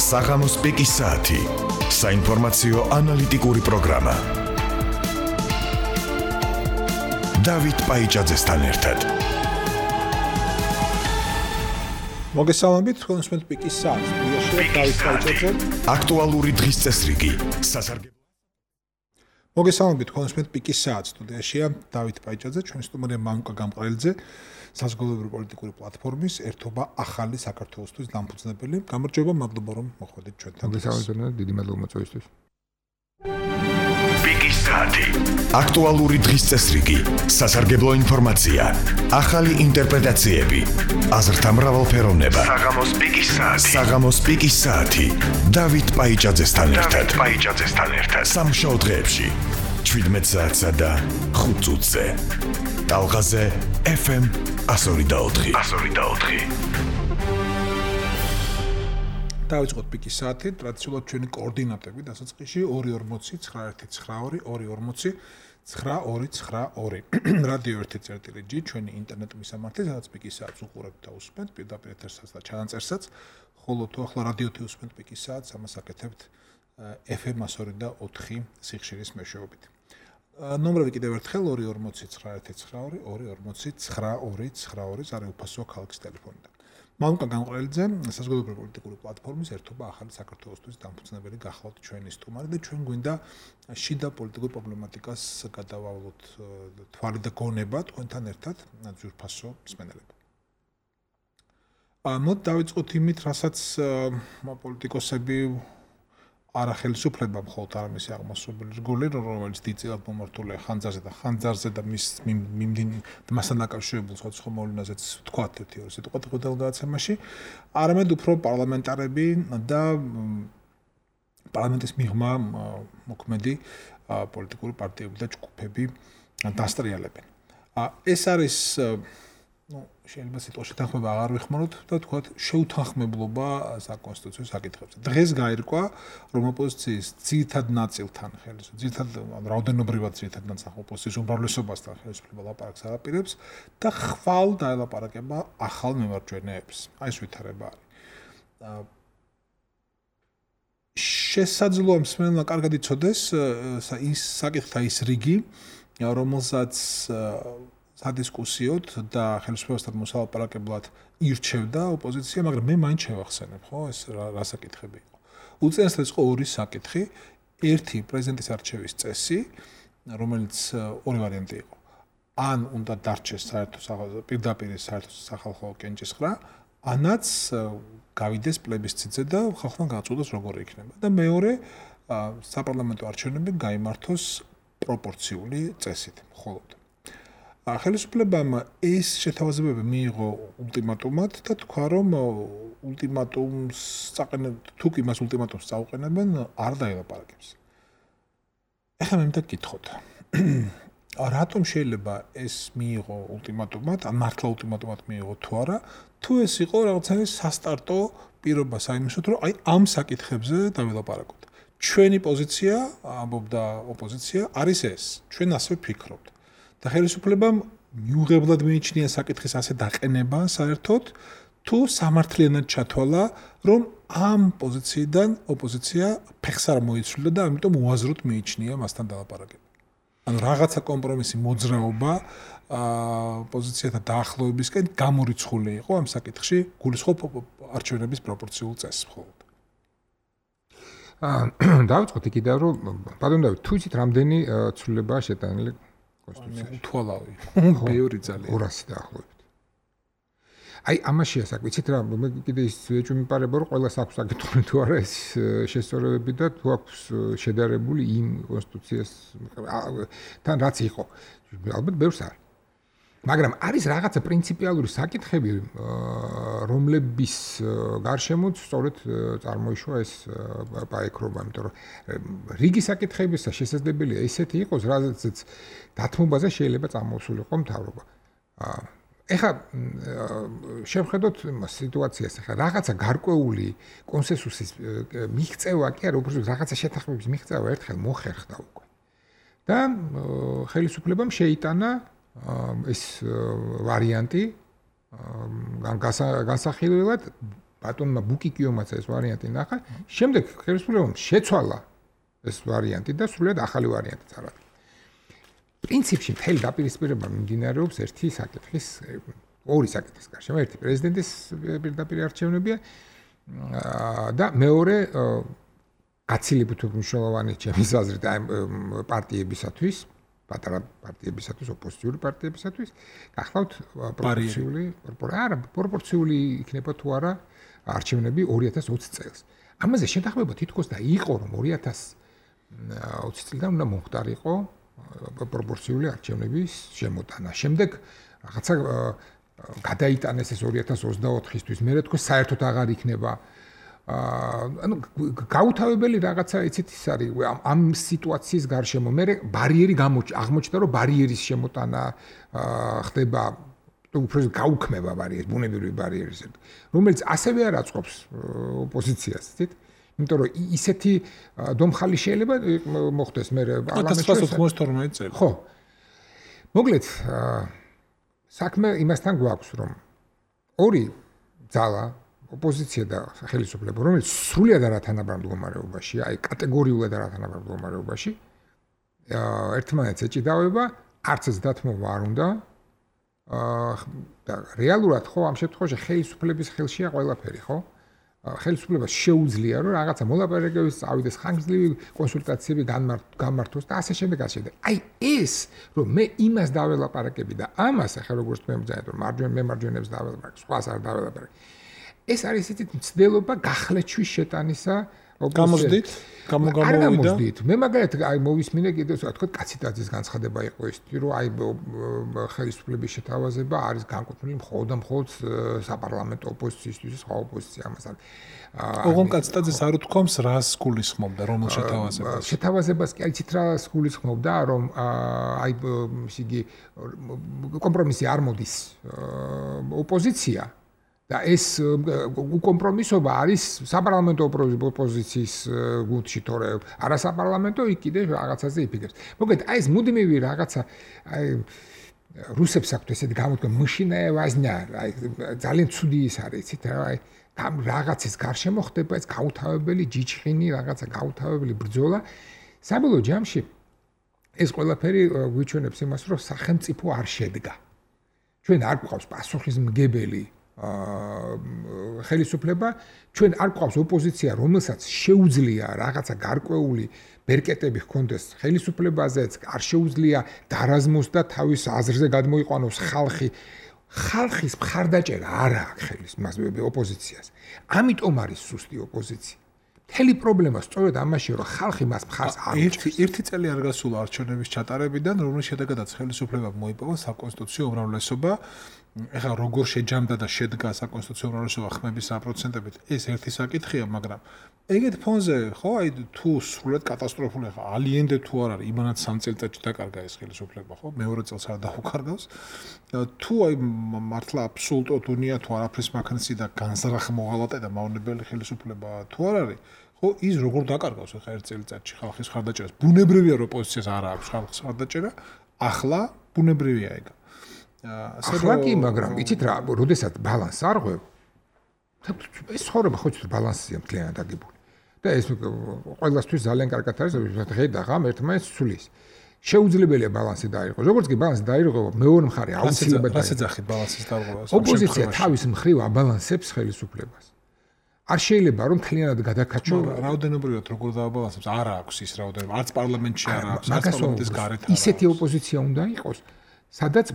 საღამოს პიკის საათი. საინფორმაციო ანალიტიკური პროგრამა. დავით პაიჭაძესთან ერთად. მოგესალმებით, თქვენს პიკის საათს. დავით პაიჭაძე. აქტუალური დღის წესრიგი. მოგესალმებით, თქვენს პიკის საათს. სტუდიაშია დავით პაიჭაძე, ჩვენი სტუმარია მანუკა გამყრელიძე, საზოგადოებრივი პოლიტიკური პლატფორმის ერთობა ახალი საქართველოსთვის დამფუძნებელი. გამარჯობა, მადლობა რომ მოხვედით ჩვენთან. მოგესალმებით, დიდი მადლობა მოწვევისთვის. პიკის საათი. აქტუალური დღის წესრიგი. სასარგებლო ინფორმაცია. ახალი ინტერპრეტაციები. აზრთა მრავალფეროვნება. საღამოს პიკის საათი. დავით პაიჭაძესთან ერთად. სამშაბათ დღეებში 17 საათსა და 5 წუთზე. ტალღაზე FM 102.4. დავიწყოთ პიკის საათი. ტრადიციულად ჩვენი კოორდინატები დასაწყისში 240-19-240-922. რადიო 1.1.G ჩვენი ინტერნეტ მისამართი, სადაც პიკის საათს უყურებთ და უსმენთ პირდაპირ ეთერსაც და ჩანაწერსაც, ხოლო თუ ახლა რადიოთი უსმენთ პიკის საათს, ამას აკეთებთ FM 102.4 სიხშირის მეშვეობით. ნომრები კიდევ ერთხელ 240-19-240-922 არის უფასო ქალაქის ტელეფონიდან. მანუკა გამყრელიძე, საზოგადოებრივი პოლიტიკური პლატფორმის ერთობა ახალი საქართველოსთვის დამფუძნებელი გახლავთ ჩვენი სტუმარი და ჩვენ გვინდა შიდა პოლიტიკურ პრობლემატიკას გადავავლოთ თვალი და გონება თქვენთან ერთად ძვირფასო მსმენელება. მოდ დავიწყოთ იმით, რასაც პოლიტიკოსები არახელისუფლება მხოლოდ არ მისი აღმასრულებელი რგოლი, რომელიც დიდწილად მომართულია ხანძარზე და მასთან დაკავშირებულ სხვადასხვა მოვლენაზეც ვთქვათ ერთი-ორი სიტყვა დღევანდელ გადაცემაში, არამედ უფრო პარლამენტარები და პარლამენტის მიღმა მოქმედი პოლიტიკური პარტიები და ჯგუფები დასტრიალებენ. ეს არის შეიძლება სიტყვა შეთანხმება აღარ ვიხმაროთ და თქვათ შეუთანხმებლობა საკონსტიტუციო საკითხებზე. დღეს გაირკვა, რომ ოპოზიციის ძირითად ნაწილთან რაოდენობრივად ძირითად ნაწილთან ოპოზიციის უმრავლესობასთან ხელისუფლება ლაპარაკს არ აპირებს და ხვალ დაელაპარაკება ახალ მემარჯვენეებს. აი ეს ვითარება არის. შესაძლოა მსმენელმა კარგად იცოდეს ის საკითხთა ის რიგი, რომელსაც სადისკუსიოდ და ხელისუფლებასთან მოსალაპარაკებლად ირჩევდა ოპოზიცია, მაგრამ მე მაინც შევახსენებ, ხო, ეს რა საკითხები იყო. უწინარესად იყო ორი საკითხი. ერთი პრეზიდენტის არჩევის წესი, რომელიც ორი ვარიანტი იყო. ან უნდა დარჩეს პირდაპირ საერთო სახალხო კენჭისყრა, ანაც გავიდეს პლებისციტზე და ხალხმა გააწყვეტოს როგორი იქნება. და მეორე საპარლამენტო არჩევნები გაიმართოს პროპორციული წესით, მხოლოდ. ხელისუფლებამ ეს შეთავაზებები მიიღო ულტიმატუმად და თქვა, რომ ულტიმატუმს თუ კი მას ულტიმატუმს წაუყენებენ, არ დაელაპარაკებს. ეხლა მე მინდა გითხოთ. რატომ შეიძლება ეს მიიღო ულტიმატუმად, ან მართლა ულტიმატუმად მიიღო თუ არა, თუ ეს იყო რაღაცა სასტარტო პირობა საიმისოდ, რომ აი ამ საკითხებზე დაველაპარაკოთ. ჩვენი პოზიცია, ამბობდა ოპოზიცია, არის ეს. ჩვენ ასე ვფიქრობთ. და ხელისუფლებამ მიუღებლად მიიჩნია საკითხის ასე დაყენება საერთოდ, თუ სამართლიანად ჩათვალა, რომ ამ პოზიციიდან ოპოზიცია ფეხს არ მოიცვლა და ამიტომ უაზროდ მიიჩნია მასთან დალაპარაკება. ანუ რაღაცა კომპრომისი მოძრაობა პოზიციათა დაახლოებისკენ გამორიცხული იყო ამ საკითხში, გულისხმობ არჩევნების პროპორციულ წესს მხოლოდ. დავიწყოთ იქიდან, რომ ბატონ დავით, თუ იცით რამდენი ცვლილებაა შეტანილი უთვალავი. ბევრი ძალიან. 200 დაახლოებით. აი ამაშია საკვიცით რა, მე კიდე ის ეჭვმიპარება, რომ ყველას აქვს საკითხი თუ არა ეს შესწორებები და თუ აქვს შედარებული იმ კონსტიტუციას თან რაც იყო. ალბათ ბევრს არის. მაგრამ არის რაღაცა პრინციპიალური საკითხები, რომლების გარშემოც სწორედ წარმოიშვა ეს პაექრობა, იმიტომ რომ რიგი საკითხებისა შესაძლებელია ისეთი იყოს, რაზეც დათმობაზე შეიძლება წამოსულიყო მთავრობა. ეხლა შევხედოთ სიტუაციას, ეხლა რაღაცა გარკვეული კონსენსუსის მიღწევა კი არა, უბრალოდ რაღაცა შეთანხმების მიღწევა ერთხელ მოხერხდა უკვე. და ხელისუფლებამ შეიტანა ეს ვარიანტი განსახილველად ბატონმა ბუკიკიომაც ეს ვარიანტი ნახა, შემდეგ ხელისუფლებამ შეცვალა ეს ვარიანტი და სრულად ახალი ვარიანტი წარადგა. პრინციპში მთელი დაპირისპირება მიმდინარეობს ორი საკითხის გარშემო, ერთი პრეზიდენტის პირდაპირ არჩევნებია და მეორე გაცილებით მნიშვნელოვანი ჩემის აზრით პარტიებისათვის, პატარა პარტიებისათვის, ოპოზიციური პარტიებისათვის, გახლავთ პროპორციული იქნება თუ არა არჩევნები 2020 წელს. ამაზე შეთანხმება თითქოს და იყო, რომ 2020 წლიდან უნდა მომხდარიყო პროპორციული არჩევნების შემოტანა. შემდეგ რაღაცა გადაიტანეს ეს 2024-ისთვის, მე თქო საერთოდ აღარ იქნება ანუ გაუთავებელი რაღაცა იცით ის არის ამ სიტუაციის გარშემო მე ბარიერი აღმოჩნდა რომ ბარიერის შემოტანა ხდება უფრო გაუქმება ბარიერის ბუნებრივი ბარიერის რომელიც ასევე არ აწყობს ოპოზიციას იცით იმიტომ რომ ისეთი დომხალი შეიძლება მოხდეს მე პარლამენტში 1992 წელი ხო მოკლედ საქმე იმასთან გვაქვს რომ ორი ძალა ოპოზიცია და ხელისუფლება, რომელიც სრულად არათანაბარ მდგომარეობაშია, აი კატეგორიულად არათანაბარ მდგომარეობაში, ერთმანეთს ეჭიდავება, არც ეს დათმობა არ უნდა. და რეალურად ხო ამ შემთხვევაში ხელისუფლების ხელშია ყველაფერი, ხო? ხელისუფლებას შეუძლია რომ რაღაცა მოლაპარაკებების წავიდეს, ხანგრძლივი კონსულტაციები გამართოს და ასე შემდეგ. აი ეს რომ მე იმას დაველაპარაკები და ამას ახლა როგორც მე მძანეთ რომ მემარჯვენეებს დაველაპარაკ, სხვას არ დაველაპარაკ. ეს არის ისეთი მცდელობა გახლეჩვის შეტანისა გამოსდით გამოვიდა მე მაგალითად აი მოვისმინე კიდევ თქვა კაციტაძის განცხადება იყო ის რომ აი ხელისუფლების შეთავაზება არის განკუთვნილი მხოლოდ საპარლამენტო ოპოზიციისთვის სხვა ოპოზიცია ამას არის ოღონ კაციტაძეს არ უთქვამს რას გულისხმობდა რომელ შეთავაზებას კი იცით რა გულისხმობდა რომ აი ისიგი კომპრომისი არ მოდის ოპოზიცია და ეს კომპრომისობა არის საპარლამენტო ოპოზიციის გუნდში თორე არასაპარლამენტო იქ კიდე რაღაცაზე იფიქრებს. მოკლედ აი ეს მუდმივი რაღაცა აი რუსებს აქვთ ესეთი გამოდგა მაშინა ვაზნა აი ძალიან ცუდი ის არის იცით აი რაღაცის გარშემო ხდება ეს გაუთავებელი ჯიჭხინი რაღაცა გაუთავებელი ბრძოლა საბოლოო ჯამში ეს ყველაფერი გვიჩვენებს იმას რომ სახელმწიფო არ შედგა. ჩვენ არ გვყავს პასუხისმგებელი ხელისუფლება ჩვენ არ გვყავს ოპოზიცია რომელსაც შეუძლია რაღაცა გარკვეული ბერკეტები ჰქონდეს ხელისუფლებაზეც არ შეუძლია დარაზმოს და თავის აზრზე გადმოიყვანოს ხალხის მხარდაჭერა არ აქვს ხელისუფლებას ოპოზიციას ამიტომ არის სუსტი ოპოზიცია მთელი პრობლემა სწორედ ამაში რომ ხალხი მას მხარს არ უჭერს ერთი წელი არ გასულა არჩევნების ჩატარებიდან რომლის შედეგადაც ხელისუფლებამ მოიპოვა საკონსტიტუციო უმრავლესობა ეხლა როგორ შეჯამდა და შედგა საკონსტიტუციო უმრავლესობა ხმების 100%-ით ეს ერთი საკითხია მაგრამ ეგეთ ფონზე ხო აი თუ სრულად კატასტროფული ხა ალიენდე თუ არ არის იმანაც 3 წელიწადში დაკარგა ეს ხელისუფლება ხო მეორე წელს არ დაუკარგავს თუ აი მართლა აბსოლუტურად უნია თუ არაფრის მაქნისი და განზრახ მოღალატე და მავნებელი ხელისუფლება თუ არ არის ხო ის როგორ დაკარგავს ხა ერთ წელიწადში ხალხის მხარდაჭერას ბუნებრივია რომ ოპოზიციას არ აქვს ხალხის მხარდაჭერა ახლა ბუნებრივია ეგ ახლა კი მაგრამ იცით რა როდესაც ბალანსს არ ღვევ ეს ცხოვრება ხო ცოტა ბალანსია მთლიანად აგებული და ეს ყველასთვის ძალიან კარგად არის რომ დღე და ღამ ერთმანეთს ცulis შეუძლებელია ბალანსი დაირღოს როგორც კი ბალანსი დაირღვა მეორე მხარე აუცილებლად ასე ძახით ბალანსის დარღვევას ოპოზიცია თავის მხრივ აბალანსებს ხელისუფლებას არ შეიძლება რომ მთლიანად გადაკაჩო რაოდენობრივად როგორ დააბალანსებს არ აქვს ის რაოდენობა არც პარლამენტში არ აქვს არც პარლამენტის გარეთ ისეთი ოპოზიცია უნდა იყოს სადაც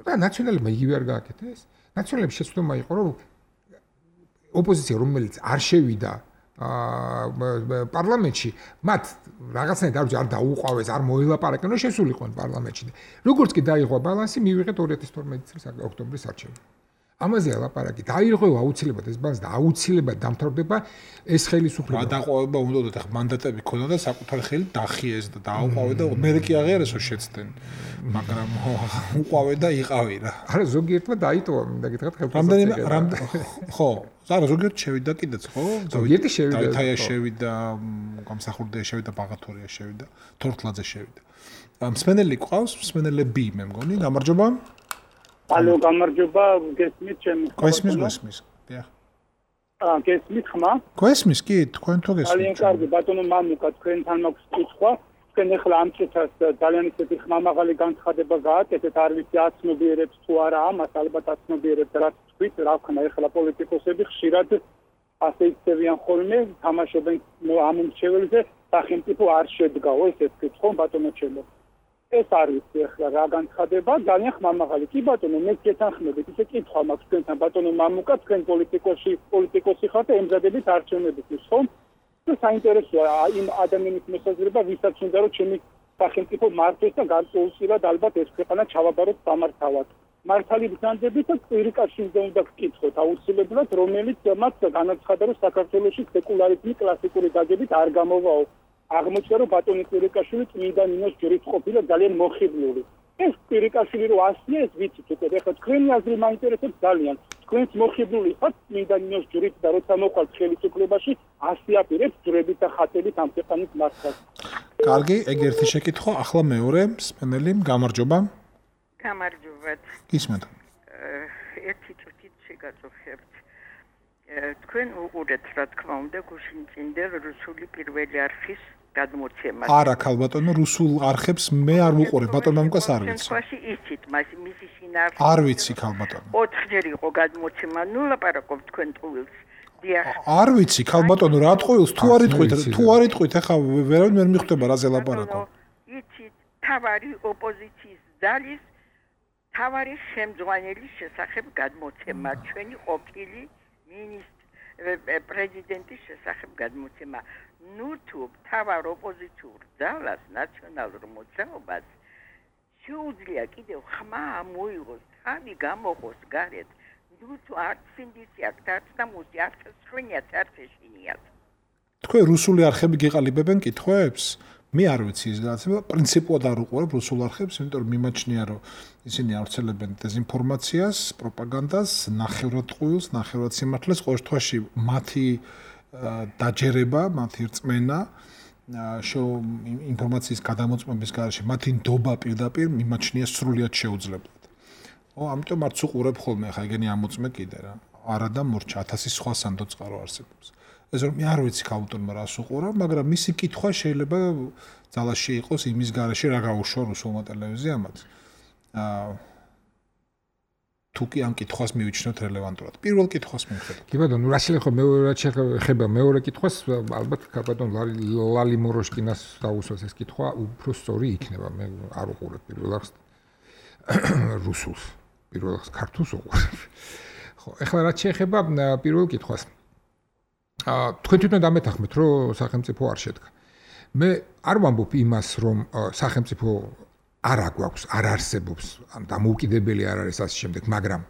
და ნაციონალებმა იგივე არ გააკეთა ეს ნაციონალების შეცდომა იყო რომ ოპოზიცია რომელიც არ შევიდა პარლამენტში მათ რაღაცნაირად არ დაუყვავეს არ მოელაპარაკენ რომ შესულიყვნენ პარლამენტში როგორც კი დაიღვა ბალანსი მივიღეთ 2012 წლის ოქტომბრის არჩევნები ამაზე ალაპარაკი დაირღვევა აუცილებლად ეს ბალანსი და აუცილებლად დამთავრდება ეს ხელისუფლება გადაყვება უნდა და მანდატები ქონდა და საკუთარი ხელი დახიეს და დაუყვავე და მე კი აღიარესო შეცდნენ მაგრამ უყვავე და იყავი რა არა ზოგიერთმა დაიტოვა მინდა გითხრათ რამდენიმე ხო ზარა ზოგიერთ შევიდა კიდეც ხო ზოგიერთი შევიდა დავითაია შევიდა გამსახურდია შევიდა ბაღათორია შევიდა თორთლაძე შევიდა მსმენელი ყავს მსმენელები მე მგონი გამარჯობა ალო გამარჯობა გესმით ჩემი გესმის დიახ გესმით ხმა? გესმის კი, თქვენ თუ გესმით. ძალიან კარგი, ბატონო მამუკა, თქვენთან მაქვს კითხვა. თქვენ ახლა ამ წუთას ძალიან ისეთი ხმამაღალი განცხადება გააკეთეთ, არ ვიცი აცნობიერებს თუ არა ამას, ალბათ აცნობიერებს რაც თქვით, რა ვქნა ახლა პოლიტიკოსები ხშირად ასე იქცევიან ხოლმე, თამაშობენ ამ მრჩეველზე, სახელმწიფო არ შედგაო, ესეც კითხო ბატონო ჩემო. ეს არის ახლა რა განცხადება, ძალიან ხმამაღალი. კი ბატონო, მე გეთანხმებით, ისე კითხვა მაქვს თქვენთან ბატონო მამუკა, თქვენ პოლიტიკოსი ხართ, ემზადებით არჩევნებისთვის, ხო? და საინტერესოა იმ ადამიანის მოსაზრება, ვისაც უნდა რომ ჩემი სახელმწიფო მართოს და გარკვეულწილად ალბათ ეს ქვეყანა ჩავაბაროთ სამართავად. მართალი ბრძანდებით და კვირიკაშვილზე უნდა გკითხოთ აუცილებლად, რომელიც მათ განაცხადა, რომ საქართველოში სეკულარიზმი კლასიკური გაგებით არ გამოვაო. აღმოჩნდა, რომ ბატონი კვირიკაშვილი წმინდა ნინოს ჯვრით ყოფილა ძალიან მოხიბლული. ეს კვირიკაშვილი რო ასია, ეს ვიცით უკვე, ეხლა თქვენი აზრი მაინტერესებს ძალიან. თქვენც მოხიბლული ხართ წმინდა ნინოს ჯვრით და როცა მოყავთ ხელისუფლებაში, ასიაპირებთ ჯვრებით და ხატებით ამ ქვეყნის მართვას. კარგი, ეგ ერთი შეკითხვა, ახლა მეორე, მსმენელი, გამარჯობა. გამარჯობათ. გისმენთ. ერთი წუთით შეგაწუხებთ. თქვენ უყურეთ, რა თქმა უნდა, გუშინ წინდა რუსული პირველი არხის გადმოცემა. არა, ქალბატონო, რუსულ არხებს მე არ ვუყურებ, ბატონო მამუკას არ ვიცი. თქვაში იცით, მისი შინაარსი. არ ვიცი, ქალბატონო. 4 ჯერ იყო გადმოცემა, ნუ ლაპარაკობ თქვენ ტყუილს. დიახ. არ ვიცი, ქალბატონო, რა ტყუილს, თუ არ იტყვით, ახლა ვერავინ ვერ მიხვდება რაზე ლაპარაკობ. იცით, თავარი ოპოზიციის ძალის თავარი შემძღვანელის შესახებ გადმოცემა, ჩვენი ყოფილი პრეზიდენტის შესახებ გადმოცემა. ნუ თუ თავარ ოპოზიციურ ძალას ნაციონალურ მოძრაობას შეუძლია კიდევ ხმა მოიღოს, თავი გამოყოს გარეთ, ნუ თუ არც სინდისი აქვს, არც დამუსი, არც სხვენიაც, არც ეშინიაც. თქვენ რუსული არხები გიყალიბებენ კითხვებს? მე არ ვიცი ის განაცემა, პრინციპულად არ უყურებ რუსულ არხებს, იმიტომ რომ მიმაჩნია, რომ ისინი ავრცელებენ დეზინფორმაციას, პროპაგანდას, ნახევრად ტყუილს, ნახევრად სიმართლეს, ყოველ შემთხვევაში მათი დაჯერება, მათი რწმენა, ინფორმაციის გადამოწმების გარეშე, მათი ნდობა პირდაპირ მიმაჩნია სრულიად შეუძლებლად. ამიტომ არც უყურებ ხოლმე, ხა ეგენი ამოწმე კიდე რა. არა და მორჩა 1000 სხვა სანდო წყარო არსებობს. ეს რომ მე არ ვიცი ქალბატონმა რას უყურებ, მაგრამ მისი კითხვა შეიძლება ძალაში იყოს იმის გარეშე, რა გაუშვა რუსულმა ტელევიზიამაც. თუ კი ამ კითხვას მივიჩნევთ რელევანტურად. პირველ კითხვას მივხვდეთ. კი ბატონო, რა შეიძლება მეორე კითხვას, ალბათ ქალბატონ ლალი მოროშკინას დაუსვას ეს კითხვა, უფრო სწორი იქნება. მე არ უყურებ პირველ არხს რუსულს, პირველ არხს ქართულს უყურებ. ხო, ეხლა რა შეიძლება პირველ კითხვას. თქვენ თვითონ დამეთანხმეთ, რომ სახელმწიფო არ შედგა. მე არ ვამბობ იმას, რომ სახელმწიფო არ აგვაქვს, არ არსებობს, დამოუკიდებელი არ არის ასე შემდეგ, მაგრამ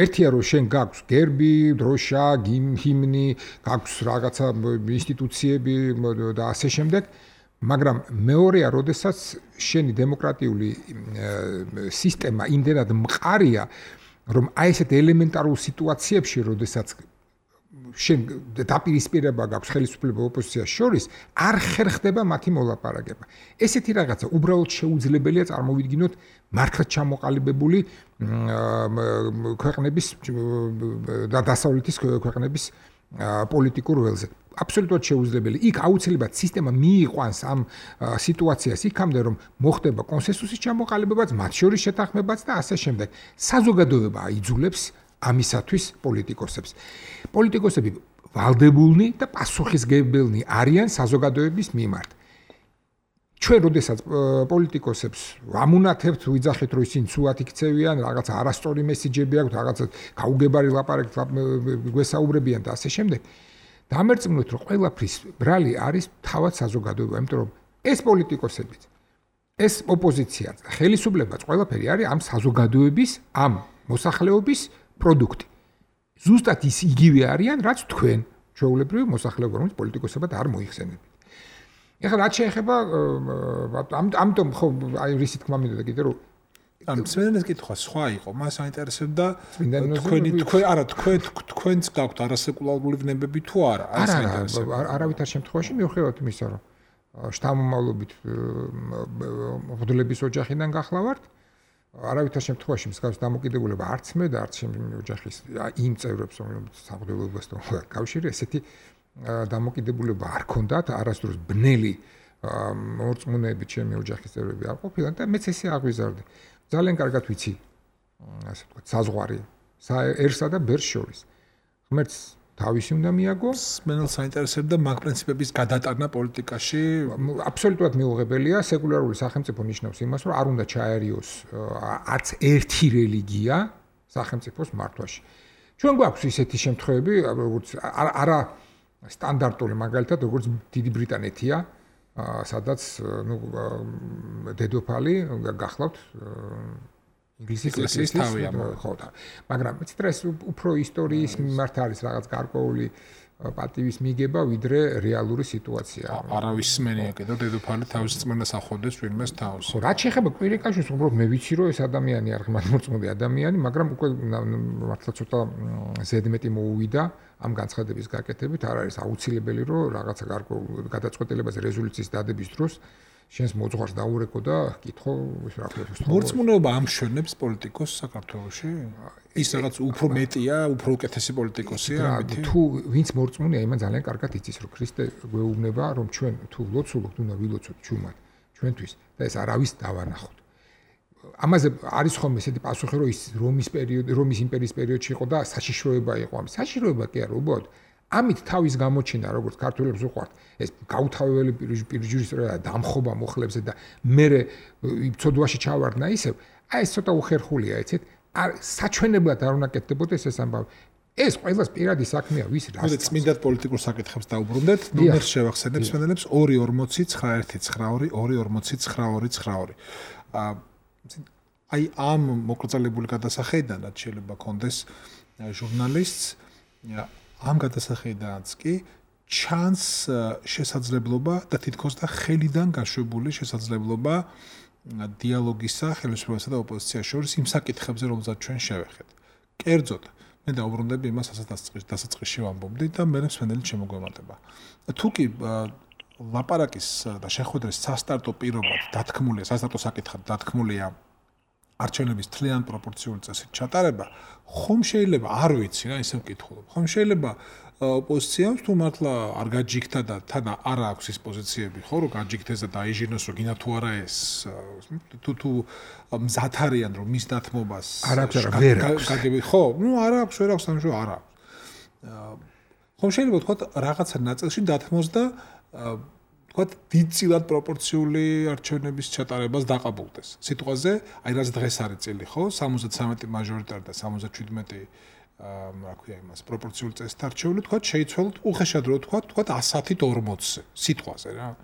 ერთია რომ შენ გაქვს გერბი, დროშა, ჰიმნი, გაქვს რაღაცა ინსტიტუციები და ასე შემდეგ, მაგრამ მეორეა, როდესაც შენი დემოკრატიული სისტემა იმდენად მყარია, რომ აი ესეთ ელემენტარულ სიტუაციებში, როდესაც შენ დაპირისპირება გაქვს ხელისუფლება ოპოზიციას შორის, არ ხერხდება მათი მოლაპარაკება. ესეთი რაღაცა უბრალოდ შეუძლებელია წარმოვიდგინოთ მართლაც ჩამოყალიბებული ქვეყნების და დასავლეთის ქვეყნების პოლიტიკურ ველზე. აბსოლუტურად შეუძლებელი. იქ აუცილებლად სისტემა მიიყვანს ამ სიტუაციას იქამდე, რომ მოხდება კონსენსუსის ჩამოყალიბებაც, მათ შორის შეთანხმებაც და ასე შემდეგ. საზოგადოება აიძულებს ამისათვის პოლიტიკოსებს. პოლიტიკოსები ვალდებულნი და პასუხისმგებელნი არიან საზოგადოების მიმართ. ჩვენ როდესაც პოლიტიკოსებს ვამუნათებთ, ვიძახით, რომ ისინი ცუდად იქცევიან, რაღაცა არასწორი მესიჯები აქვთ, რაღაცა გაუგებარი ლაპარაკით გვესაუბრებიან და ასე შემდეგ. დამერწმუნოთ, რომ ყველაფრის ბრალი არის თავად საზოგადოება, იმიტომ რომ ეს პოლიტიკოსებიც, ეს ოპოზიციაც და ხელისუფლებაც ყველაფერი არის ამ საზოგადოების, ამ მოსახლეობის პროდუქტი. ზუსტად ის იგივე არიან, რაც თქვენ, ჩვეულებრივი მოსახლეობა, რომელიც პოლიტიკოსებად არ მოიხსენებით. ეხლა რაც შეეხება ამიტომ ხო აი რისი თქმა მინდოდა კიდე რომ მსმენელის კითხვა სხვა იყო, მას აინტერესებდა თქვენც გაქვთ არასეკულარული ვნებები თუ არა, ეს აინტერესებდა. არავითარ შემთხვევაში მიუხედავად იმისა, რომ შთამომავლობით მღვდლების ოჯახიდან გახლავართ, არავითარ შემთხვევაში მსგავს დამოკიდებულება არც მე და არც ჩემი ოჯახის იმ წევრებს, რომლებიც სამღვდელოებასთან კავშირი, ესეთი დამოკიდებულება არ ქონდათ, არასდროს ბნელი მორწმუნეები ჩემი ოჯახის წევრები არ ყოფილან და მეც ესე აღვიზარდი. ძალიან კარგად ვიცი, ასე ვთქვათ, საზღვარი ერსა და ბერს შორის. ღმერთს თავისი უნდა მიაგო. მენელს საინტერესებდა მაგ პრინციპების გადატანა პოლიტიკაში. აბსოლუტურად მიუღებელია, სეკულარული სახელმწიფო ნიშნავს იმას, რომ არ უნდა ჩაერიოს არც ერთი რელიგია სახელმწიფოს მართვაში. ჩვენ გვაქვს ისეთი შემთხვევები, როგორც არა სტანდარტული მაგალითად, როგორც დიდი ბრიტანეთია, სადაც დედოფალი გახლავთ ინგლისის ეკლესიის თავია, ხო და მაგრამ მეცით ეს უფრო ისტორიის მიმართ არის რაღაც გარკვეული პატივის მიგება, ვიდრე რეალური სიტუაცია. არავის სმენია კიდევ დედოფალი თავის წმენას ახორდეს ვინმეს თავს. ხო, რაც შეეხება კვირიკაშვილს, უბრალოდ მე ვიცი, რომ ეს ადამიანი არ ღმერთმორწმუნე ადამიანი, მაგრამ უკვე მართლა ცოტა ზედმეტი მოუვიდა ამ განცხადების გაკეთებით, არ არის აუცილებელი, რომ რაღაცა გარკვეულ გადაწყვეტილებაზე რეზოლუციის დადების დროს შენს მოძღვარს დაურეკო და კითხო, რა ქვია, მორწმუნეობა ამშვენებს პოლიტიკოს საქართველოში? ის რაღაც უფრო მეტია, უფრო უკეთესი პოლიტიკოსია ამით? თუ ვინც მორწმუნეა, იმან ძალიან კარგად იცის, რომ ქრისტე გვეუბნება, რომ ჩვენ თუ ვლოცულობთ, უნდა ვილოცოთ ჩუმად ჩვენთვის და ეს არავის დავანახოთ. ამაზე არის ხოლმე ესეთი პასუხი, რომ ის რომის იმპერიის პერიოდში იყო და საშიშროება იყო. საშიშროება კი არა, უბრალოდ ამით თავის გამოჩენა, როგორც ქართველებს უყვართ, ეს გაუთავებელი პირჯვრის დამხობა მოხლებსა და მე ცოდვაში ჩავარდნა ისევ, აი ეს ცოტა უხერხულია, ეცეთ, საჩვენებლად არ უნდა კეთდებოდეს ეს ამბავი. ეს ყველას პირადი საქმეა, ვის რა. მოდი წმინდად პოლიტიკურ საკითხებს დაუბრუნდეთ. ნომერს შევახსენებ სპენდელებს 2499242. აი ამ მოკრძალებული გადასახედანაც შეიძლება კონდეს ჟურნალისტს ამ გადასახედანაც კი ჩანს შესაძლებლობა და თითქოს და ხელიდან გაშვებული შესაძლებლობა დიალოგისა ხელისუფლებასა და ოპოზიციას შორის იმ საკითხებზე, რომელსაც ჩვენ შევეხეთ. კერძოდ, მე დავუბრუნდები იმას, რასაც დასაწყისში ვამბობდი და მე მსმენელი შემოგვემატება. თუ კი ლაპარაკის და შეხვედრის სასტარტო პირობად დათქმულია, სასტარტო საკითხად დათქმულია არჩევნების თლიან პროპორციული წესით ჩატარება, ხომ შეიძლება, არ ვიცი რა, ისე ვკითხულობ. ხომ შეიძლება ოპოზიციამ თუ მართლა არ გაჯიქთა და თან არ აქვს ის პოზიციები, ხო, რომ გაჯიქთეს და დაიჟინოს, რომ გინდა თუ არა ეს თუ მზად არიან, რომ მის დათმობას არ აქვს რა, ვერ აქვს. ხო, ნუ არ აქვს, ვერ აქვს, ამჟო არ აქვს. ხომ შეიძლება თქვა რაღაცა ნაწილში დათმოს და თქვა დიდწილად პროპორციული არჩევნების ჩატარებას დაყაბულდეს. სიტყვაზე, აი რაც დღეს არის წილი, ხო? 73 მაჟორიტარი და 77 რა ქვია იმას, პროპორციული წესით არჩეული, თქვა შეიცვალოთ უხეშად რო თქვა 100-ით 40-ზე, სიტყვაზე რა.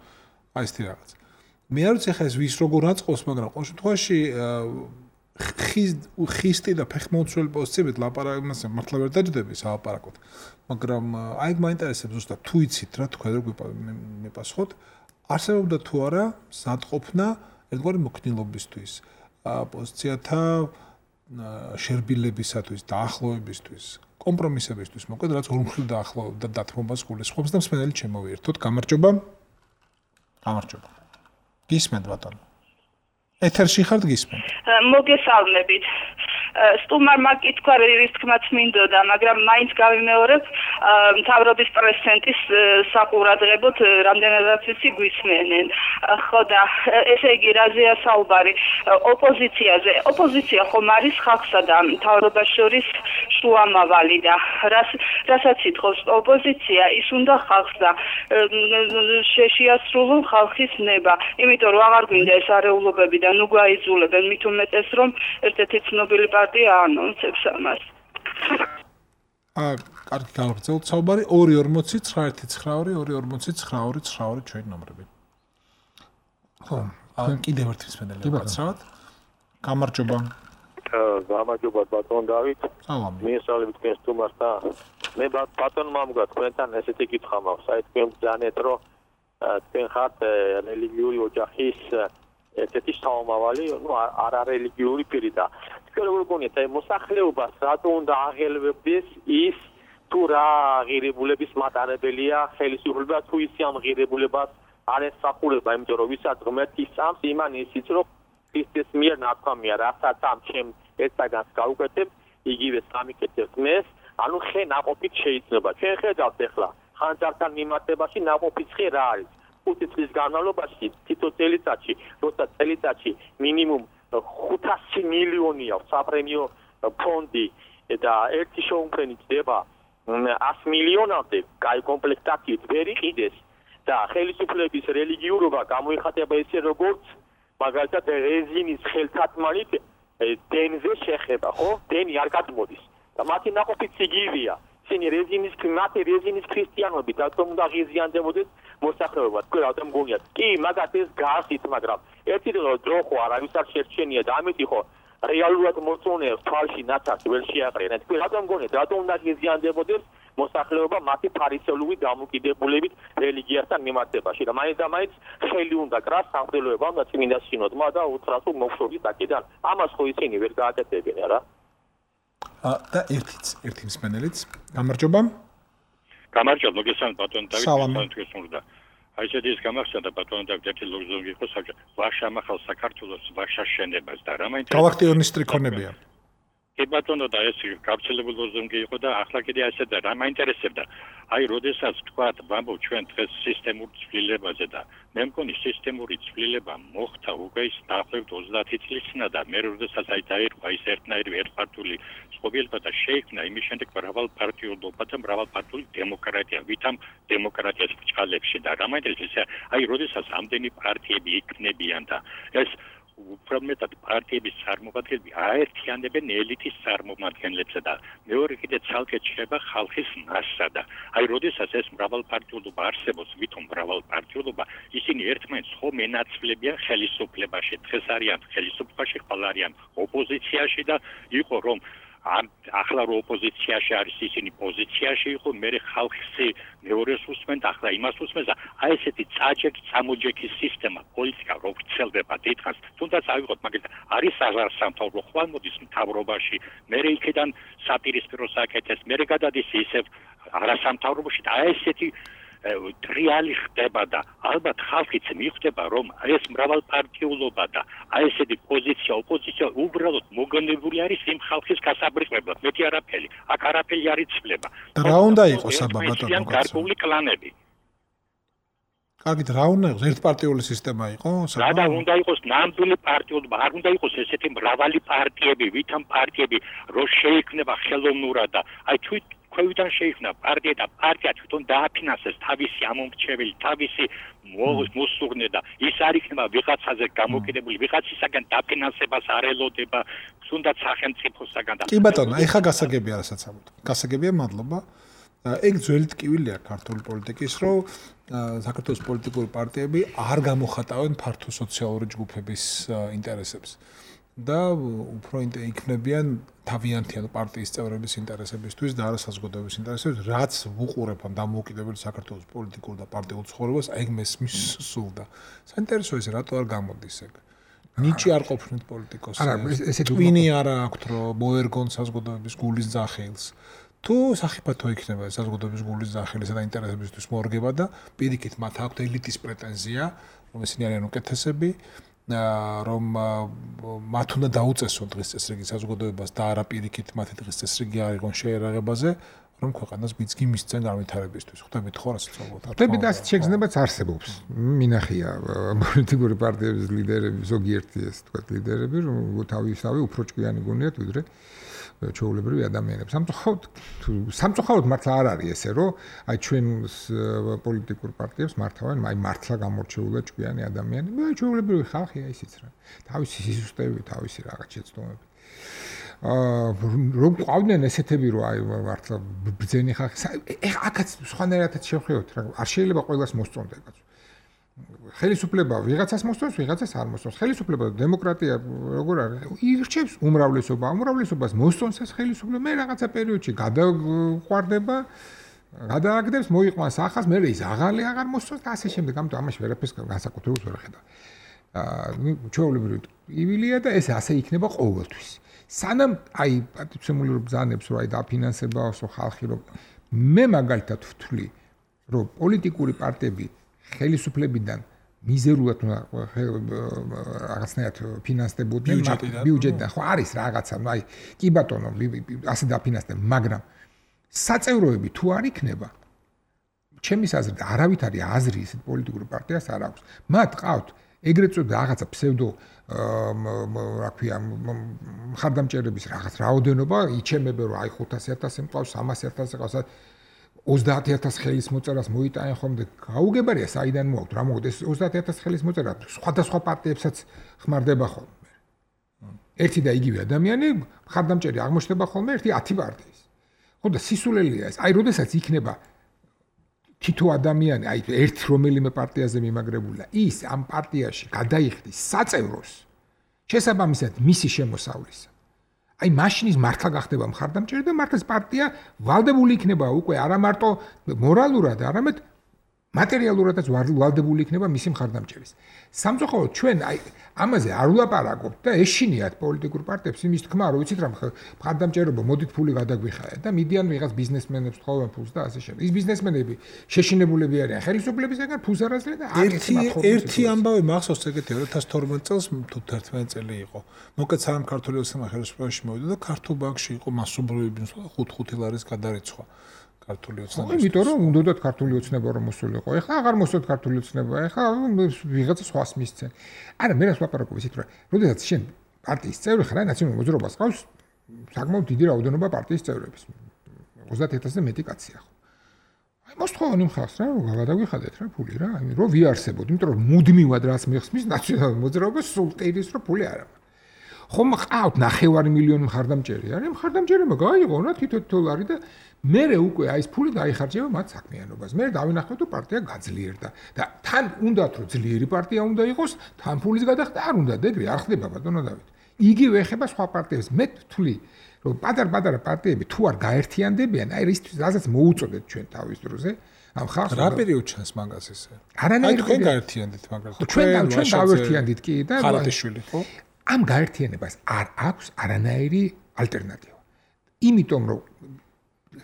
აი ესეთი რაღაც. მე არ ვიცი ხა ეს ვის როგორ აწყობს, მაგრამ ყოველ შემთხვევაში ხისტი და ფეხმოვცვლელი პოზიციებით ლაპარაკი მართლა ვერ დაჯდები სალაპარაკოთ. მაგრამ აი მაინტერესებს ზუსტად თუ იცით რა თქვენ როგორ მეპასუხოთ, არსებობდა თუ არა ზადყოფნა ერთგვარი მოქნილობისთვის, პოზიციათა შერბილებისათვის, დაახლოებისთვის, კომპრომისებისთვის, მოკლედ რაც ორმხრივ დაახლოებდა და დათმობას გულისხმობს და მსმენელი შემოვიერთოთ. გამარჯობა. გამარჯობა. გისმენთ ბატონო. ეთერში ხართ გისმენთ. მოგესალმებით. სტუმარმა კითხვა რის თქმაც მინდოდა, მაგრამ მაინც გავიმეორებ მთავრობის პრეზიდენტის საყურადღებოდ რამდენადაც ვიცი გვისმენენ. ხო და ესე იგი რაზეა საუბარი ოპოზიციაზე. ოპოზიცია ხომ არის ხალხსა და მთავრობას შორის შუამავალი და რასაც ითხოვს ოპოზიცია, ის უნდა ხალხს და შეასრულონ ხალხის ნება. იმიტომ რომ აღარ გვინდა ეს არეულობები და ნუ გვაიძულებენ, მით უმეტეს რომ ერთ-ერთი ცნობილი პარტია ანონსებს ამას. კარგი გავაგრძელოთ საუბარი 240-9192-240-9292 ჩვენი ნომრები. ხო, კიდევ ერთი მსმენელი ვაკაცრავთ. გამარჯობა. გამარჯობა ბატონ დავით. სალამი. მიესალმებით თქვენ სტუმართან. მე ბატონმა მგა თქვენთან ესეთი კითხვა მაქვს. აი თქვენ ბრძანეთ რომ თქვენ ხართ რელიგიური ოჯახის ერთ-ერთი საომავალი, ნუ არარელიგიური პირი და თქვენ როგორ გონიათ, აი მოსახლეობას რატო უნდა აღელვებდეს ის თუ რა ღირებულების მატარებელია ხელისუფლება, თუ ისი ამ ღირებულებას არ ესახულება, იმიტომ რომ ვისაც ღმერთი სწამს, იმან ისიც რომ ის მიერ ნათქვამია, რასაც ამ ჩემ ერთსაგანს გავუკეთებ, იგივე სამიკეთებს მეს, ანუ ხე ნაყოფით შეიძლება. ჩვენ ხედავთ ახლა ხანძართან მიმართებაში ნაყოფის ხე რა არის? 5 წლის განმავლობაში თითო წელიწადში, როცა წელიწადში მინიმუმ 500 მილიონი აქვს საპრემიო ფონდი და ერთი შეუმფრენი ხდება 100 მილიონამდე კაი კომპლექტაციით ვერ იყიდეს და ხელისუფლების რელიგიურობა გამოიხატება ესე როგორც მაგალითად რეზინის ხელთათმანით დენზე შეხება, ხო? დენი არ გადმოდის და მათი ნაყოფიც იგივეა. ისინი რეზინის ქრისტიანობით რატომ უნდა ღიზიანდებოდეს მოსახლეობა? თქვენ რატომ გონიათ? კი, მაგათ ეს გასით, მაგრამ ერთი დრო ხო არავის არ შერჩენია და ამიტომ ხო რეალურად მოწონებს თვალში ნაცარს ვერ შეაყრიან. თქვენ რატომ გონიათ, რატომ უნდა ღიზიანდებოდეს მოსახლეობა მათი ფარისეულური დამოკიდებულებით რელიგიასთან მიმართებაში და მაინც და მაინც ხელი უნდა კრას სამღვდელოებამ და წმინდა სინოდმა და უთხრას რომ მოგშორდით აქედან. ამას ხო ისინი ვერ გააკეთებენ რა. და ერთი მსმენელიც გამარჯობა. გამარჯობა, მოგესალმებით ბატონო დავით, თქვენ უნდა. აი ეს ის გამახსენდა ბატონო დავით, ერთი ლოგზონგი იყო საბჭო. ვაშა ახალ საქართველოს ვაშა შენებას და რა მაინტერესებს. გალაქტიონის ტრიქონებია. კი ბატონო და ეს გავრცელებული ლოზუნგი იყო და ახლა კიდე ასე და რა მაინტერესებდა აი როდესაც თქვათ ვამბობ ჩვენ დღეს სისტემურ ცვლილებაზე და მე მგონი სისტემური ცვლილება მოხდა უკვე ის დაახლოებით 30 წლის წინა და მე როდესაც აი დაირქვა ის ერთნაირი ერთპარტიული წყობილება და შეიქმნა იმის შემდეგ მრავალპარტიულობა და მრავალპარტიული დემოკრატია ვითამ დემოკრატიას ბჭყალებში და რა მაინტერესებს აი როდესაც ამდენი პარტიები იქნებიან და ეს უფრო მეტად პარტიების წარმომადგენლები აერთიანებენ ელიტის წარმომადგენლებს და მეორე კიდე ცალკე ჩება ხალხის მასსა და აი როდესაც ეს მრავალპარტიულობა არსებობს ვითომ მრავალპარტიულობა ისინი ერთმანეთს ხო მენაცვლებიან ხელისუფლებაში დღეს არიან ხელისუფლებაში ხვალ არიან ოპოზიციაში და იყო რომ ახლა რო ოპოზიციაში არის ისინი პოზიციაში იყო მე ხალხი მეორეს უსმენ და ახლა იმას უსმენს და აი ესეთი წამოჯექის სისტემა პოლიტიკა რო ვრცელდება დიდხანს თუნდაც ავიღოთ მაგალითად არის სამთავრო ხვალ მოდის მთავრობაში მე იქიდან საპირისპირო საკეთეს მე გადადის ისევ არასამთავრობოში და აი ესეთი ტრიალი ხდება და ალბათ ხალხიც მიხვდება რომ ეს მრავალპარტიულობა და აი ესეთი ოპოზიცია უბრალოდ მოგონებული არის იმ ხალხის გასაბრიყვებლად მეტი არაფერი აქ არაფერი არ იცვლება და რა უნდა იყოს აბა ბატონო გარკვეული კლანები კარგით რა უნდა იყოს ერთპარტიული სისტემა იყოს რა და უნდა იყოს ნამდვილი პარტიულობა არ უნდა იყოს ესეთი მრავალი პარტიები ვითამ პარტიები რო შეიქმნება ხელოვნურად და აი ქვევიდან შეიქმნა პარტია და პარტია თვითონ დააფინანსეს თავისი ამომრჩეველი თავისი მოსურნე და ის არ იქნება ვიღაცაზე გამოკიდებული ვიღაცისაგან დაფინანსებას არ ელოდება თუნდაც სახელმწიფოსაგან და კი ბატონო ეხა გასაგებია რასაც ამბობთ გასაგებია მადლობა ეგ ძველი ტკივილია ქართული პოლიტიკის რომ საქართველოს პოლიტიკური პარტიები არ გამოხატავენ ფართო სოციალური ჯგუფების ინტერესებს და უფრო იქნებიან თავიანთი პარტიის წევრების ინტერესებისთვის და არა საზოგადოების ინტერესებისთვის, რაც უყურებ ამ დამოუკიდებელი საქართველოს პოლიტიკურ და პარტიულ ცხოვრებას, აი მესმის სულდა. საინტერესოა ეს რატო არ გამოდის ეგ? ნიჭი არ ყოფნით პოლიტიკოსს. არა, ესეთი ტვინი არ აქვს, რომ მოერგონ საზოგადოების გულის ძახილს. თუ სახიფათო იქნება საზოგადოების გულის ძახილისა და ინტერესებისთვის მორგება და პირიქით მათ აქვთ ელიტის პრეტენზია, რომ ისინი არიან უკეთესები. რომ მათ უნდა დაუწესონ დღის წესრიგი საზოგადოებას და არა პირიქით მათი დღის წესრიგი არ იყოს შეერაღებაზე რომ ქვეყანას ბიძგი მისცენ განვითარებისთვის ხვდებით ხო რაც ვცდილობთ ხვდებით და ასეთ შეგრძნებაც არსებობს მინახია პოლიტიკური პარტიების ლიდერები ზოგიერთი ეს თქვა ლიდერები რომ თავისავე უფრო ჭკვიანი გონიათ ვიდრე ჩვეულებრივი ადამიანებს. სამწუხაროდ მართლა არ არის ესე, რომ აი ჩვენ პოლიტიკურ პარტიებს მართავენ, აი მართლა გამორჩეულად ჭკვიანი ადამიანები, აი ჩვეულებრივი ხალხია ისიც რა. თავისი სიზუსტეები, თავისი რაღაც შეცდომები. რომ ყავდნენ ესეთები, რომ აი მართლა ბრძენი ხალხი. ეხა აქაც სხვანაირადაც შევხედოთ რა. არ შეიძლება ყველას მოსწონდეს კაცო. ხელისუფლება ვიღაცას მოსწონს, ვიღაცას არ მოსწონს. ხელისუფლება და დემოკრატია როგორ არის? ირჩევს უმრავლესობას მოსწონს ეს ხელისუფლება, მე რაღაცა პერიოდში გადაყვარდება, გადააგდებს, მოიყვანს ახალს, მე ის აღარ მოსწონს და ასე შემდეგ. ამიტომ ამაში ვერაფერს განსაკუთრებულს ვერ ხედავ. ჩვეულებრივი ტკივილია და ეს ასე იქნება ყოველთვის. სანამ აი პატივცემული რო ბრძანებს, რომ აი დაფინანსებაოსო ხალხი რომ მე მაგალითად ვთვლი, რომ პოლიტიკური პარტიები ხელისუფლებიდან მიზერულად რაღაცნაირად ფინანსდებოდნენ ბიუჯეტიდან ხო არის რაღაცა ნუ აი კი ბატონო ასე დაფინანსდნენ მაგრამ საწევროები თუ არ იქნება ჩემის აზრით არავითარი აზრი ისეთ პოლიტიკურ პარტიას არ აქვს მათ ყავთ ეგრეთ წოდებული რაღაცა ფსევდო რა ქვია მხარდამჭერების რაღაც რაოდენობა იჩემებენ რომ აი 500,000 მყავს 300,000 ყავს 30,000 ხელის მოწერას მოიტანენ ხოლმე გაუგებარია საიდან მოაქვს რა მოგდეს 30,000 ხელის მოწერა სხვადასხვა პარტიებსაც ხმარდება ხოლმე ერთი და იგივე ადამიანი მხარდამჭერი აღმოჩნდება ხოლმე ერთი 10 პარტიის ხო და სისულელია ეს აი როდესაც იქნება თითო ადამიანი აი ერთ რომელიმე პარტიაზე მიმაგრებული ის ამ პარტიაში გადაიხდის საწევროს შესაბამისად მისი შემოსავლისა აი მაშინის მართლა გახდება მხარდამჭერი და მართლაც პარტია ვალდებული იქნება უკვე არა მარტო მორალურად არამედ მატერიალურადაც ვალდებული იქნება მისი მხარდამჭერის სამწუხაროდ ჩვენ აი ამაზე არ ვლაპარაკობთ და ეშინიათ პოლიტიკურ პარტიებს იმის თქმა რომ ვიცით რა მხარდამჭერობა მოდით ფული გადაგვიხაეთ და მიდიან ვიღაც ბიზნესმენებს თხოვენ ფულს და ასე შემდეგ ის ბიზნესმენები შეშინებულები არიან ხელისუფლებისგან ფულს არ აძლევენ და ერთი ამბავი მახსოვს ეგეთი 2012 წელს თუ 11 წელი იყო მოკეთ სამ ქართული ოცნება ხელისუფლებაში მოვიდა და ქართულ ბანკში იყო მასობრივი 5 ლარის გადარიცხვა ქართული ოცნება. იმიტომ რომ უნდათ ქართული ოცნება რომ მოსულიყო. ეხლა აღარ მოსულთ ქართული ოცნება. ეხლა ვიღაცა სხვას მისცენ. არა, მე რას ვაპარაკობ ისეთ რომ, როდესაც შენ პარტიის წევრი ხარ, ნაციონალურ მოძრაობას ყავს საკმაოდ დიდი რაოდენობა პარტიის წევრების. 30,000-ზე მეტი კაცია ხო. აი მოსთხოვანი მხარს რა, რომ გადაგვიხადეთ რა ფული რა, აი რომ ვიარსებოდ, იმიტომ რომ მუდმივად რაც მიხსნის ნაციონალურ მოძრაობას სულ ტირის რომ ფული არ აქვს. ხომ ყავთ 9 მილიონი მხარდამჭერი არის, მხარდამჭერებმა გაიღო რა $10 და მერე უკვე აი ეს ფული დაიხარჯება მათ საქმიანობას. მე დავინახავ თუ პარტია გაძლიერდა და თან უნდათ რომ ძლიერი პარტია უნდა იყოს, თან ფულის გადახდა არ უნდა ეგრე არ ხდება ბატონო დავით. იგივე ეხება სხვა პარტიებს. მე ვთვლი რომ პატარ-პატარა პარტიები თუ არ გაერთიანდებიან, აი რასაც მოუწოდეთ ჩვენ თავის დროზე, ამ ხალხს რა პერიოდ ჩანს მაგას ესე? არანაირ თქვენ გაერთიანდით მაგას. ჩვენ გავერთიანდით კი და ხალატიშვილი ხო? ამ გაერთიანებას არ აქვს არანაირი ალტერნატივა. იმიტომ რომ